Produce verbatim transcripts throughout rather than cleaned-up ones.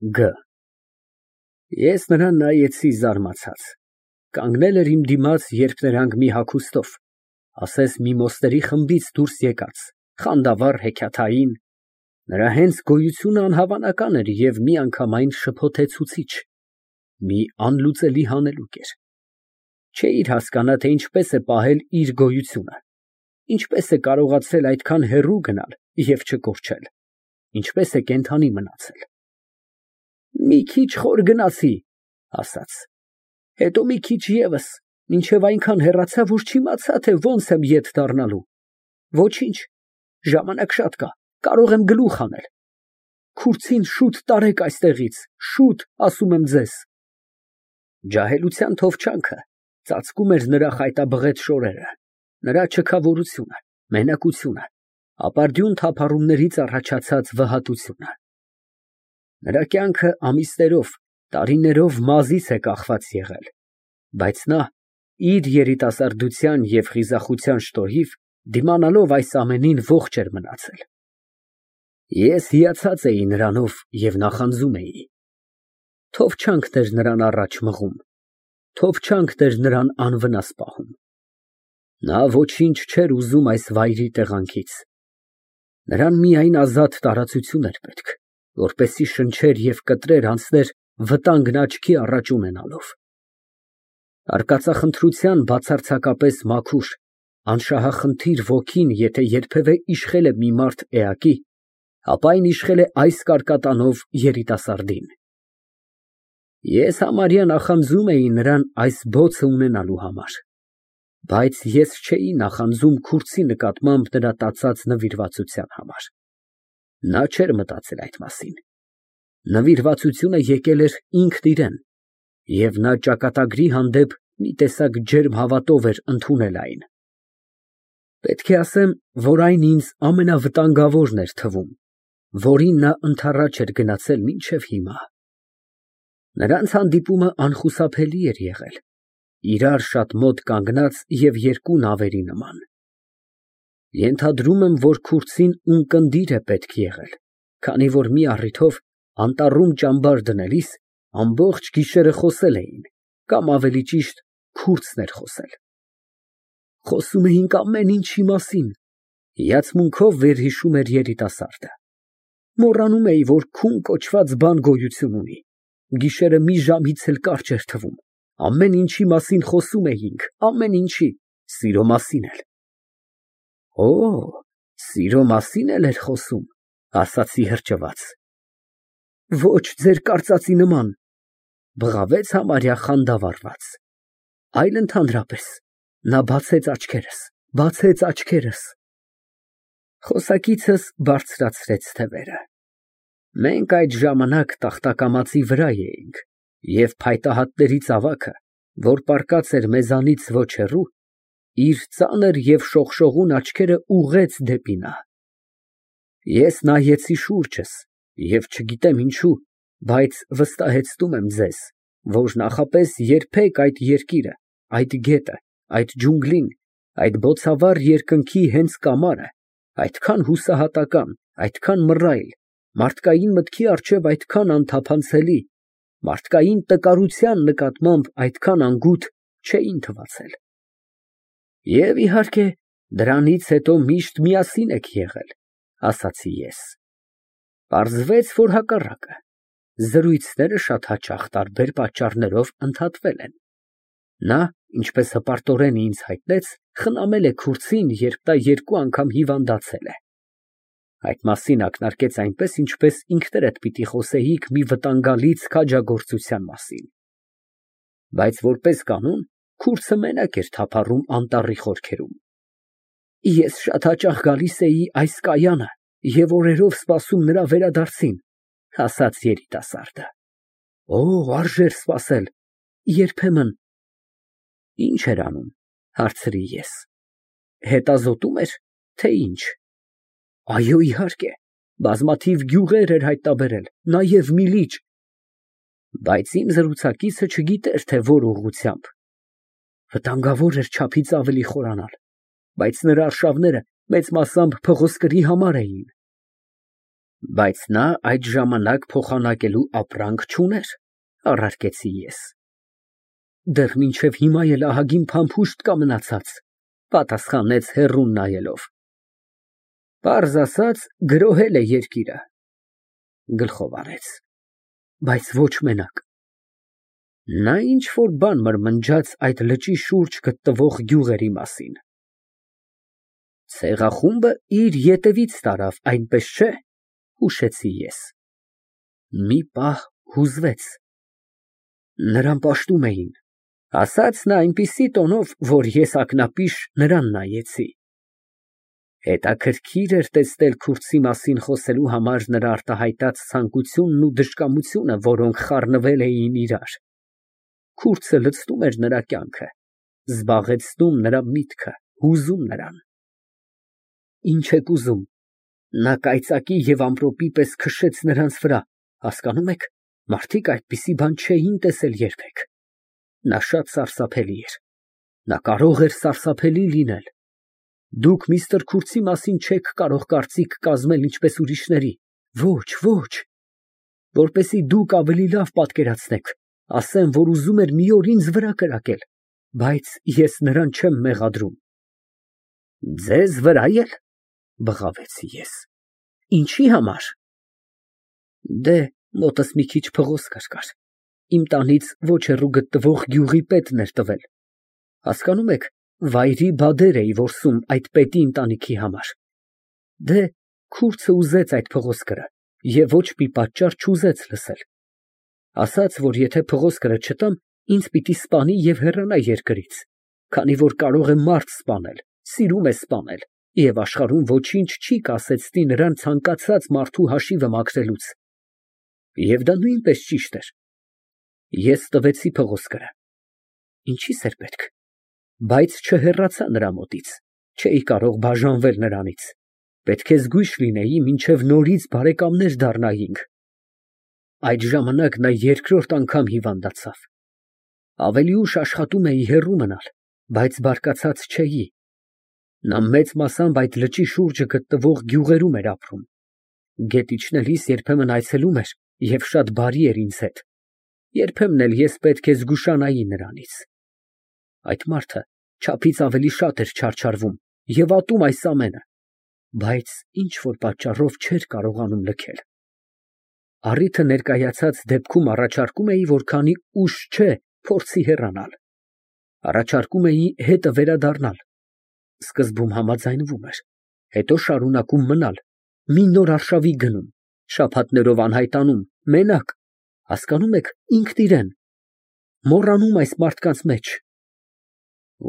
Գ Ես նրան նայեցի զարմացած, կանգնել էր իմ դիմաց, երբ նրանք մի հագուստով, ասես մի մոստերի խմբից դուրս եկած, խանդավառ, հեքիաթային, նրա հենց գոյությունը անհավանական էր և միանգամայն շփոթեցուցիչ, մի անլուծելի հանելուկ էր։ Չէիր հասկանա, թե ինչպես է պահել իր գոյությունը, ինչպես է կարողացել այդքան հեռու գնալ և չկորչել, ինչպես է կենդանի մնացել։ Մի քիչ խոր գնացի, ասաց, հետո մի քիչ ևս, մինչև այնքան հեռացա, որ չիմացա, թե ոնց եմ ետ դառնալու։ Ոչինչ, ժամանակ շատ կա, կարող եմ գլուխ հանել։ Քուրձին շուտ տարեք այստեղից, շուտ, ասում եմ ձեզ։ Ջահելության թովչանքը ծածկում էր նրա խայտաբղետ շորերը, նրա չքավորությունը, մենակությունը, ապարդյուն թափառումներից առաջացած վհատությունը։ Նրա կյանքը ամիսներով, տարիներով մազից է կախված եղել, բայց նա իր երիտասարդության և խիզախության շնորհիվ դիմանալով այս ամենին ողջ էր մնացել։ Ես հիացած էի նրանով և նախանձում էի։ Թովչանքն էր նրան առաջ մղում, թովչանքն էր նրան անվնաս պահում։ Նա ոչինչ չէր ուզում այս վայրի տեղանքից։ Նրան միայն ազատ տարածություն էր պետք, որպեսզի շնչեր և կտրեր անցներ վտանգն աչքի առաջ ունենալով։ Արկածախնդրության բացարձակապես մաքուր, անշահախնդիր ոգին եթե երբևէ իշխել է մի մարդ էակի, ապա այն իշխել է այս կարկատանով երիտասարդին։ Ես համարյա նախանձում էի նրան այս բոցը ունենալու համար, բայց ես չէի նախանձում քուրձի նկատմամբ նրա տածած նվիրվածության համար։ Նա չէր մտածել այդ մասին։ Նվիրվածությունը եկել էր ինքն իրան, և նա ճակատագրի հանդեպ մի տեսակ ջերմ հավատով էր ընդունել այն։ Պետք է ասեմ, որ այն ինձ ամենավտանգավորն էր թվում, որին նա ընդառաջ էր գնացել մինչև հիմա։ Նրանց հանդիպումը անխուսափելի էր եղել, իրար շատ մոտ կանգնած և երկու նավերի նման։ Ենթադրում եմ, որ քուրձին ունկնդիր է պետք եղել, քանի որ մի առիթով անտառում ճամբար դնելիս ամբողջ գիշերը խոսել էին, կամ ավելի ճիշտ քուրձն էր խոսել։ Խոսում էինք ամեն ինչի մասին, հիացմունքով վերհիշում էր երիտասարդը։ Մոռանում էի, որ քուն կոչված բան գոյություն ունի, գիշերը մի ժամից էլ կարճ էր թվում, ամեն ինչի մասին խոսում էինք, ամեն ինչի, սիրո մասին էլ։ Օ, սիրո մասին էլ էր խոսում, ասացի հրճված։ Ոչ ձեր կարծածի նման, բղավեց համարյա խանդավառված, այլ ընդհանրապես, նա բացեց աչքերս, բացեց աչքերս։ Խոսակիցս բարձրացրեց թևերը։ Մենք այդ ժամանակ տախտակամածի վրա էինք, և փայտահատների ծավաքը, որ պառկած էր մեզանից ոչ հեռու, իր ծանր և շողշողուն աչքերը ուղղեց դեպի նա։ Ես նայեցի շուրջս և չգիտեմ ինչու, բայց վստահեցնում եմ ձեզ, որ նախապես երբեք այդ երկիրը, այդ գետը, այդ ջունգլին, այդ բոցավառ երկնքի հենց կամարը, այդքան հուսահատական, այդքան մռայլ, մարդկային մտքի առջև այդքան անթափանցելի, մարդկային տկարության նկատմամբ այդքան անգութ չէին թվացել։ Եվ, իհարկե, դրանից հետո միշտ միասին եք եղել, ասացի ես։ Պարզվեց, որ հակառակը, զրույցները շատ հաճախ տարբեր պատճառներով ընդհատվել են։ Նա, ինչպես հպարտորեն ինձ հայտնեց, խնամել է քուրձին, երբ նա երկու անգամ հիվանդացել է։ Այդ մասին ակնարկեց այնպես, ինչպես ինքներդ պիտի խոսեիք մի վտանգալից քաջագործության մասին։ Բայց որպես կանոն, քուրձը մենակ էր թափառում անտառի խորքերում։ Ես շատ հաճախ գալիս էի այս կայանը և օրերով սպասում նրա վերադարձին, ասաց երիտասարդը։ Օ, արժեր սպասել, երբեմն։ Ինչ էր անում, հարցրի ես։ Հետազոտում էր, թե ինչ։ Այո, իհարկե, բազմաթիվ գյուղեր էր հայտնաբերել, նաև մի լիճ։ Բայց իմ զրուցակիցը չգիտեր, թե որ ուղղությամբ։ Վտանգավոր էր չափից ավելի խորանալ, բայց նրա արշավները մեծ մասամբ փղոսկրի համար էին։ Բայց նա այդ ժամանակ փոխանակելու ապրանք չուներ, առարկեցի ես։ Դեռ մինչև հիմա էլ ահագին փամփուշտ կա մնացած, պատասխանեց հեռուն նայելով։ Պարզ ասած, գրոհել է երկիրը, գլխով արեց, բայց ոչ մենակ։ Նա ինչ-որ բան մրմնջաց այդ լճի շուրջ գտնվող գյուղերի մասին։ Ցեղախումբը իր ետևից տարավ, այնպես չէ՞, հուշեցի ես։ Մի պահ հուզվեց։ Նրան պաշտում էին, ասաց նա այնպիսի տոնով, որ ես ակնապիշ նրան նայեցի։ Հետաքրքիր էր տեսնել քուրդի մասին խոսելու համար նրա արտահայտած ցանկությունն ու դժկամությունը, որոնք խառնվել էին իրար։ Քուրդը լցնում էր նրա կյանքը, զբաղեցնում նրա միտքը, հուզում նրան։ Ինչ եք ուզում, նա կայծակի և ամպրոպի պես քշեց նրանց վրա, հասկանում եք, մարդիկ այդպիսի բան չէին տեսել երբեք։ Նա շատ սարսափելի էր, նա կարող էր սարսափելի լինել։ Դուք միստր Քուրթի մասին չեք կարող կարծիք կազմել ինչպես ուրիշների, ոչ, ոչ, որպեսզի դուք ավելի լավ պատկերացնեք, ասեմ, որ ուզում էր մի օր ինձ վրա կրակել, բայց ես նրան չեմ մեղադրում։ Ձեզ վրա էլ, բղավեցի ես, ինչի համար։ Դե, մոտս մի քիչ փղոսկր կար, իմ տանից ոչ հեռու գտնվող գյուղի պետն էր տվել, հասկանում եք, վայրի բադեր էի որսում այդ պետի ընտանիքի համար։ Դե, քուրդը ուզեց այդ փղոսկրը և ոչ մի պատճառ չուզեց լսել։ Ասաց, որ եթե փղոսկրը չտամ, ինձ պիտի սպանի և հեռանա երկրից, քանի որ կարող է մարդ սպանել, սիրում է սպանել և աշխարհում ոչինչ չի կասեցնի նրան ցանկացած մարդու հաշիվը մաքրելուց։ Եվ դա նույնպես ճիշտ էր։ Ես տվեցի փղոսկրը։ Ինչի՞ս էր պետք։ Բայց չհեռացա նրա մոտից, չէի կարող բաժանվել նրանից, պետք է զգույշ լինեի, մինչև նորից բարեկամներ դառնայինք։ Այդ ժամանակ նա երկրորդ անգամ հիվանդացավ։ Ավելի ուշ աշխատում էի հեռու մնալ, բայց բարկացած չէի։ Նա մեծ մասամբ այդ լճի շուրջը գտնվող գյուղերում էր ապրում։ Գետ իջնելիս երբեմն այցելում էր և շատ բարի էր ինձ հետ։ Երբեմն էլ ես պետք է զգուշանայի նրանից։ Այդ մարդը չափից ավելի շատ էր չարչարվում և ատում այս ամենը, բայց ինչ֊որ պատճառով չէր կարողանում լքել։ Առիթը ներկայացած դեպքում առաջարկում էի, որ քանի ուշ չէ, փորձի հեռանալ։ Առաջարկում էի հետը վերադառնալ։ Սկզբում համաձայնվում էր, հետո շարունակում մնալ, մի նոր արշավի գնում, շաբաթներով անհայտանում, մենակ, հասկանում եք, ինքն իրեն, մոռանում այս մարդկանց մեջ։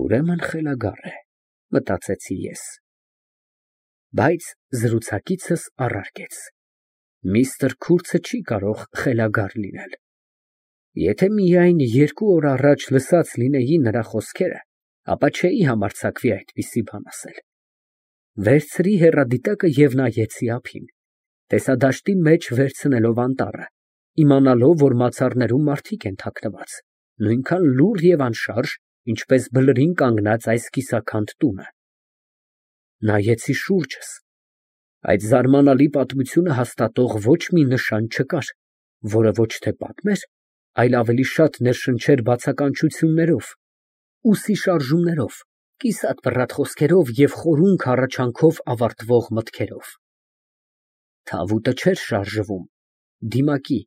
Ուրեմն խելագար է, մտածեցի ես։ Բայց զրուցակիցս առարկեց. միստր Քուրթը չի կարող խելագար լինել։ Եթե միայն երկու օր առաջ լսած լինեի նրա խոսքերը, ապա չէի համարձակվի այդպիսի բան ասել։ Վերցրի հեռադիտակը և նայեցի ափին, տեսադաշտի մեջ վերցնելով անտառը, իմանալով, որ մացառներում մարդիկ են թաքնված, նույնքան լուռ և անշարժ, ինչպես բլրին կանգնած այս կիսաքանդ տունը։ Նայեցի շուրջս։ Այդ զարմանալի պատմությունը հաստատող ոչ մի նշան չկար, որը ոչ թե պատմեր, այլ ավելի շատ ներշնչեր բացականչություններով, ուսի շարժումներով, կիսատ-բռատ խոսքերով և խորունկ հառաչանքով ավարտվող մտքերով։ Թավուտը չէր շարժվում, դիմակի,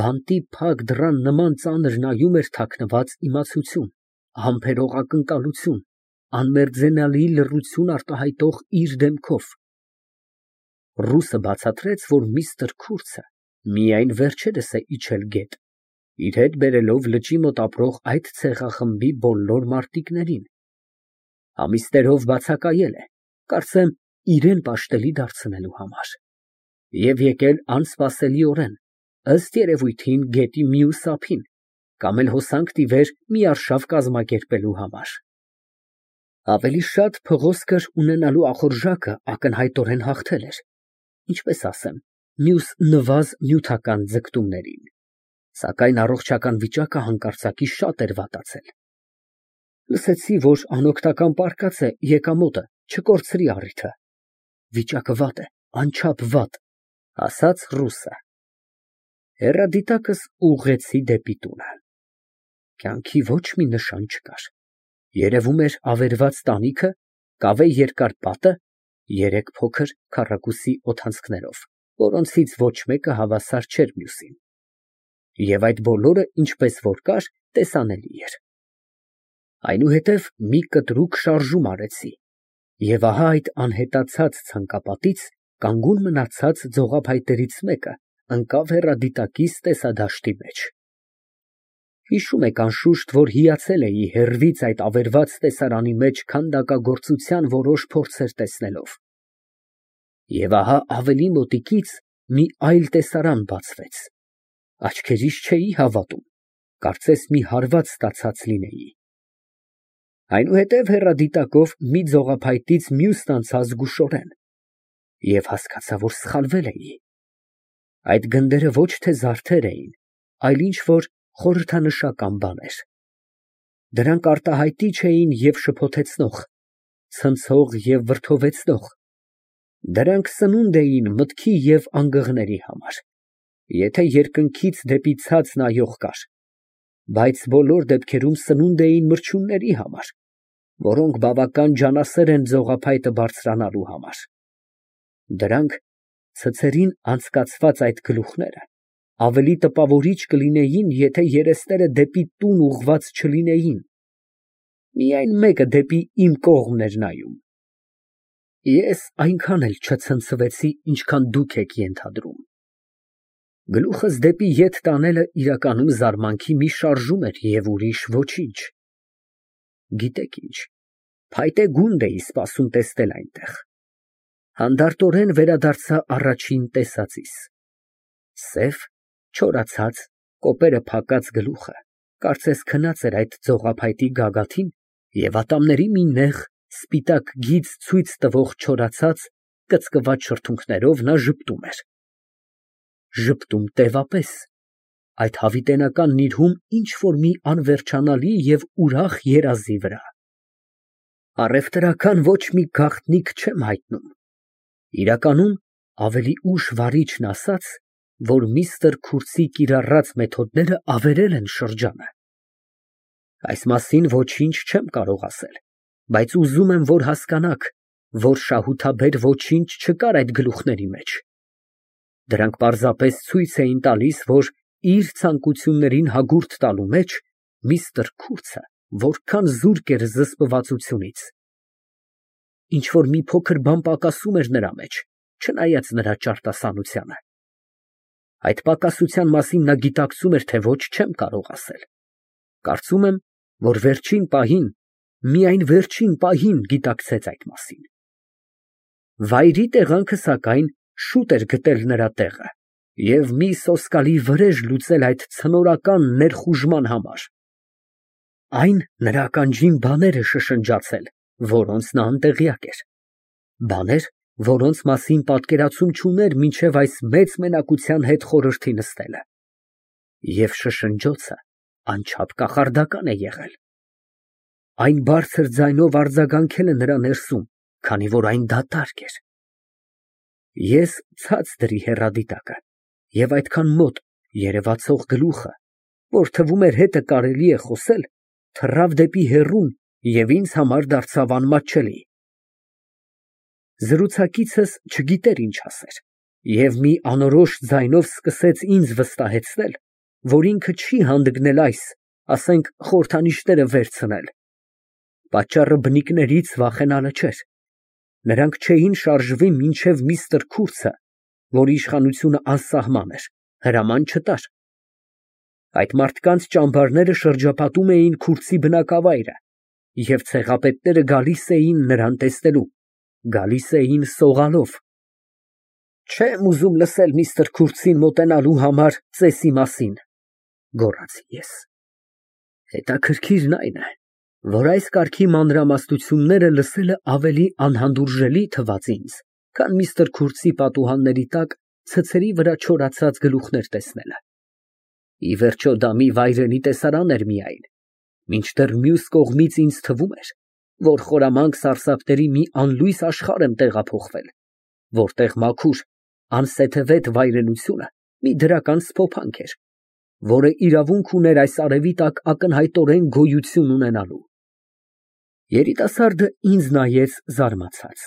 բանտի փակ դռան նման ծանր նայում էր թաքնված իմացություն, համբերող ակնկալություն, անմերձենալի լռություն արտահայտող իր դեմքով։ Ռուսը բացատրեց, որ միստր Քուրթը միայն վերջերս է իջել գետ, իր հետ բերելով լճի մոտ ապրող այդ ցեղախմբի բոլոր մարտիկներին։ Ամիսներով բացակայել է, կարծեմ, իրան պաշտելի դարձնելու համար, և եկել անսպասելիորեն, ըստ երևույթին, գետի մյուս ափին, կամ էլ հոսանք տիվեր մի արշավ կազմակերպելու համար։ Ավելի շատ փղոսկր ունենալու ախորժակը ակնհայտորեն հաղթել էր, ինչպես ասեմ, մյուս նվազ նյութական ձգտումներին, սակայն առողջական վիճակը հանկարծակի շատ էր վատացել։ Լսեցի, որ անօգնական պառկած է եկամուտը, չկորցրի առիթը։ Վիճակը վատ է, անչափ վատ։ Ասաց ռուսը։ Հեռադիտակս ուղղեցի դեպի տունը։ Կյանքի ոչ մի նշան չկար։ Երևում էր ավերված տանիքը, կավե երկար պատը, երեք փոքր քառակուսի օդանցքներով, որոնցից ոչ մեկը հավասար չէր մյուսին։ Եվ այդ բոլորը, ինչպես որ կար, տեսանելի էր։ Այնուհետև մի կտրուկ շարժում արեցի, և ահա այդ անհետացած ցանկապատից կանգուն մնացած ձողափայտերից մեկը ընկավ հեռադիտակիս տեսադաշտի մեջ։ Հիշում եք անշուշտ, որ հիացել էի հեռվից այդ ավերված տեսարանի մեջ քանդակագործության որոշ փորձեր տեսնելով։ Եվ ահա ավելի մոտիկից մի այլ տեսարան բացվեց։ Աչքերիս չէի հավատում, կարծես մի հարված ստացած լինեի։ Այնուհետև հեռադիտակով մի ձողափայտից մյուսն անցա զգուշորեն և հասկացա, որ սխալվել էի։ Այդ գնդերը ոչ թե զարդեր էին, այլ ինչ֊որ խորհրդանշական բաներ։ Դրանք արտահայտիչ էին և շփոթեցնող, ցնցող և վրդովեցնող։ Դրանք սնունդ էին մտքի և անգղների համար, եթե երկնքից դեպի ցած նայող կար, բայց բոլոր դեպքերում սնունդ էին մրջյունների համար, որոնք բավական ջանասեր են ձողափայտը բարձրանալու համար։ Դրանք, ցցերին անցկացված այդ գլուխները, ավելի տպավորիչ կլինեին, եթե երեսները դեպի տուն ուղղված չլինեին, միայն մեկը դեպի իմ կողմն էր նայում։ Ես այնքան էլ չցնցվեցի, ինչքան դուք եք ենթադրում։ Գլուխս դեպի ետ տանելը իրականում զարմանքի մի շարժում էր և ուրիշ ոչինչ։ Գիտեք ինչ, փայտե գունդ էի սպասում տեսնել այնտեղ։ Հանդարտորեն վերադարձա առաջին տեսածիս։ Սև, չորացած, կոպերը փակած գլուխը, կարծես քնած էր այդ ձողափայտի գագաթին և ատամների մի նեղ, սպիտակ գիծ ցույց տվող չորացած, կծկված շրթունքներով նա ժպտում էր։ Ժպտում տևապես, այդ հավիտենական նիրհում ինչ֊որ մի անվերջանալի և ուրախ երազի վրա։ Առևտրական ոչ մի գաղտնիք չեմ հայտնում։ Իրականում, ավելի ուշ վարիչն ասաց, որ միստր Քուրցի կիրառած մեթոդները ավերել են շրջանը։ Այս մասին ոչինչ չեմ կարող ասել, բայց ուզում եմ, որ հասկանաք, որ շահութաբեր ոչինչ չկար այդ գլուխների մեջ։ Դրանք պարզապես ցույց էին տալիս, որ իր ցանկություններին հագուրդ տալու մեջ միստր Քուրցը որքան զուրկ էր զսպվածությունից։ Ինչ֊որ մի փոքր բան պակասում էր նրա մեջ, չնայած նրա ճարտասանությանը։ Այդ պակասության մասին նա գիտակցում էր, թե ոչ չեմ կարող ասել։ Կարծում եմ, որ վերջին պահին, միայն վերջին պահին գիտակցեց այդ մասին։ Վայրի տեղանքը, սակայն, շուտ էր գտել նրա տեղը և մի սոսկալի վրեժ լուծել այդ ցնորական ներխուժման համար։ Այն նրա ականջին բաներ է շշնջացել, որոնց նա անտեղյակ էր, բաներ, որոնց մասին պատկերացում չուներ մինչև այս մեծ մենակության հետ խորհրդի նստելը։ Եվ շշնջոցը անչափ կախարդական է եղել։ Այն բարձր ձայնով արձագանքել է նրա ներսում, քանի որ այն դատարկ էր։ Ես ցած դրի հեռադիտակը և այդքան մոտ երևացող գլուխը, որ թվում էր հետը կարելի է խոսել, թռավ դեպի հեռուն և ինձ համար դարձավ անմատչելի։ Զրուցակիցս չգիտեր ինչ ասեր և մի անորոշ ձայնով սկսեց ինձ վստահեցնել, որ ինքը չի հանդգնել այս, ասենք, խորհրդանիշները վերցնել։ Պատճառը բնիկներից վախենալը չէր։ Նրանք չէին շարժվի մինչև միստր Քուրցը, որի իշխանությունը անսահման էր, հրաման չտար։ Այդ մարդկանց ճամբարները շրջապատում էին Քուրցի բնակավայրը, և ցեղապետները գալիս էին նրան տեսնելու, գալիս էին սողալով։ Չեմ ուզում լսել միստր Քուրցին մոտենալու համար ծեսի մասին, գոռացի ես։ Հետաքրքիրն այն է, որ այս կարգի մանրամասնությունները լսելը ավելի անհանդուրժելի թվաց ինձ, քան միստր Քուրցի պատուհանների տակ ցցերի վրա չորացած գլուխներ տեսնելը։ Ի վերջո, դա մի վայրենի տեսարան էր միայն, մինչդեռ մյուս կողմից ինձ թվում էր, որ խորամանկ սարսափների մի անլույս աշխարհ եմ տեղափոխվել, որտեղ մաքուր, անսեթևետ վայրենությունը մի դրական սփոփանք էր, որը իրավունք ուներ այս արևի տակ ակնհայտորեն գոյություն ունենալու։ Երիտասարդը ինձ նայեց զարմացած։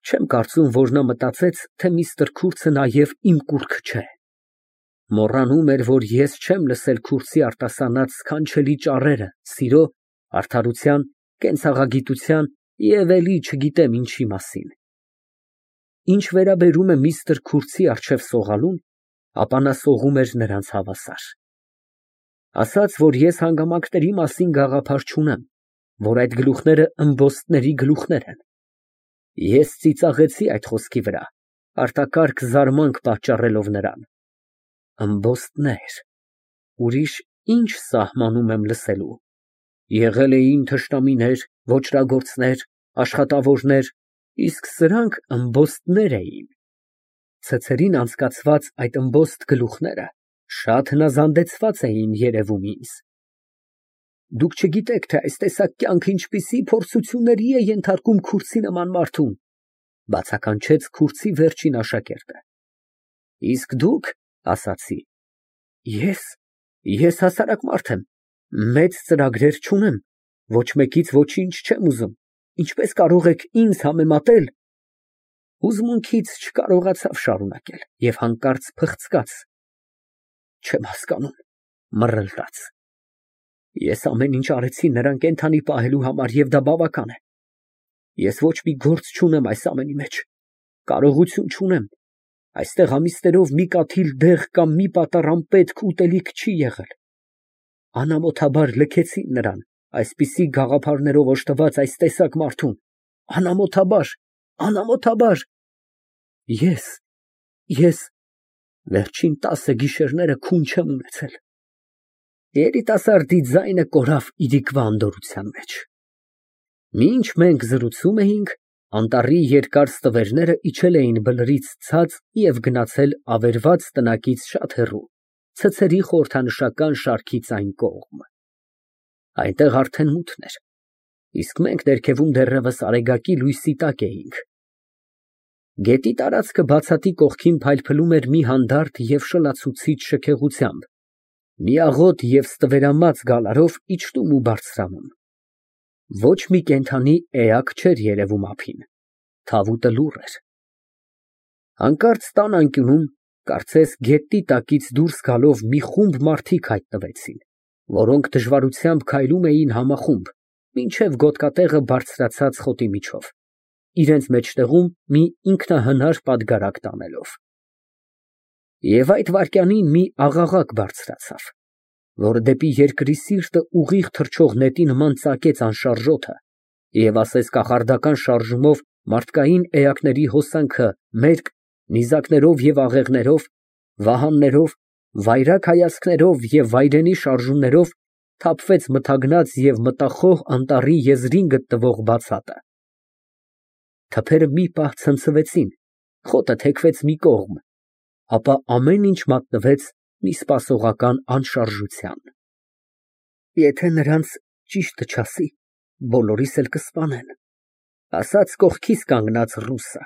Չեմ կարծում, որ նա մտածեց, թե միստր Քուրցը նաև իմ կուռքը չէ։ Մոռանում էր, որ ես չեմ լսել Քուրցի արտասանած սքանչելի ճառերը սիրո, արդարության, կենցաղագիտության և էլի չգիտեմ ինչի մասին։ Ինչ վերաբերում է միստր Քուրցի առջև սողալուն, ապա նա սողում էր նրանց հավասար։ Ասաց, որ ես հանգամանքների մասին գաղափար չունեմ, որ այդ գլուխները ըմբոստների գլուխներ են։ Ես ծիծաղեցի այդ խոսքի վրա, արտակարգ զարմանք պատճառելով նրան։ Ըմբոստներ, ուրիշ ինչ սահմանում եմ լսելու։ Եղել էին թշնամիներ, ոճրագործներ, աշխատավորներ, իսկ սրանք ըմբոստներ էին։ Ցցերին անցկացված այդ ըմբոստ գլուխները շատ հնազանդեցված էին երևում ինձ։ Դուք չգիտեք, թե այս տեսակ կյանքը ինչպիսի փորձությունների է ենթարկում Քուրցի նման մարդուն, բացականչեց Քուրցի վերջին աշակերտը։ Իսկ դուք, ասացի, ես, ես հասարակ մարդ եմ, մեծ ծրագրեր չունեմ, ոչ մեկից ոչինչ չեմ ուզում, ինչպես կարող եք ինձ համեմատել։ Հուզմունքից չկարողացավ շարունակել և հանկարծ փխցկաց։ Չեմ հասկանում, մռլտաց։ Ես ամեն ինչ արեցի նրան կենդանի պահելու համար և դա բավական է։ Ես ոչ մի գործ չունեմ այս ամենի մեջ, կարողություն չունեմ, այստեղ ամիսներով մի կաթիլ դեղ կամ մի պատառ անպետք ուտելիք չի եղել։ Անամոթաբար լքեցին նրան, այսպիսի գաղափարներով օժտված այս տեսակ մարդուն, անամոթաբար, անամոթաբար։ Ես, ես վերջին տասը գիշերները քուն չեմ ունեցել։ Երիտասարդի ձայնը կորավ իրիկվա անդորրության մեջ։ Մինչ մենք զրուցում էինք, անտառի երկար ստվերները իջել էին բլրից ցած և գնացել ավերված տնակից շատ հեռու, ցցերի խորհրդանշական շարքից այն կողմ։ Այնտեղ արդեն մութն էր, իսկ մենք ներքևում դեռևս արեգակի լույսի տակ էինք։ Գետի տարածքը բացատի կողքին փայլփլում էր մի հանդարտ և շլացուցիչ շքեղությամբ, միաղոտ և ստվերամած գալարով իջնում ու բարձրանում։ Ոչ մի կենդանի էակ չէր երևում ափին, թավուտը լուռ էր։ Հանկարծ տան անկյունում, կարծես գետի տակից դուրս գալով մի խումբ մարդիկ հայտնվեցին, որոնք դժվարությամբ քայլում էին համախումբ, մինչև գոտկատեղը բարձրացած խոտի միջով, իրենց մեջտեղում մի ինքնահնար պատգարակ տանելով։ Եվ այդ վայրկյանին մի աղաղակ բարձրացավ, որ դեպի երկրի սիրտը ուղիղ թռչող նետի նման ծակեց անշարժ օդը և ասես կախարդական շարժումով մարդկային էակների հոսանքը մերկ, նիզակներով և աղեղներով, վահաններով, վայրագ հայացքներով և վայրենի շարժումներով թափվեց մթագնած և մտախոհ անտառի եզրին գտնվող բացատը։ Թփերը մի պահ ցնցվեցին, խոտը թեքվեց մի կողմ, ապա ամեն ինչ մատնվեց մի սպասողական անշարժության։ Եթե նրանց ճիշտը չասի, բոլորիս էլ կսպանեն, ասաց կողքիս կանգնած ռուսը։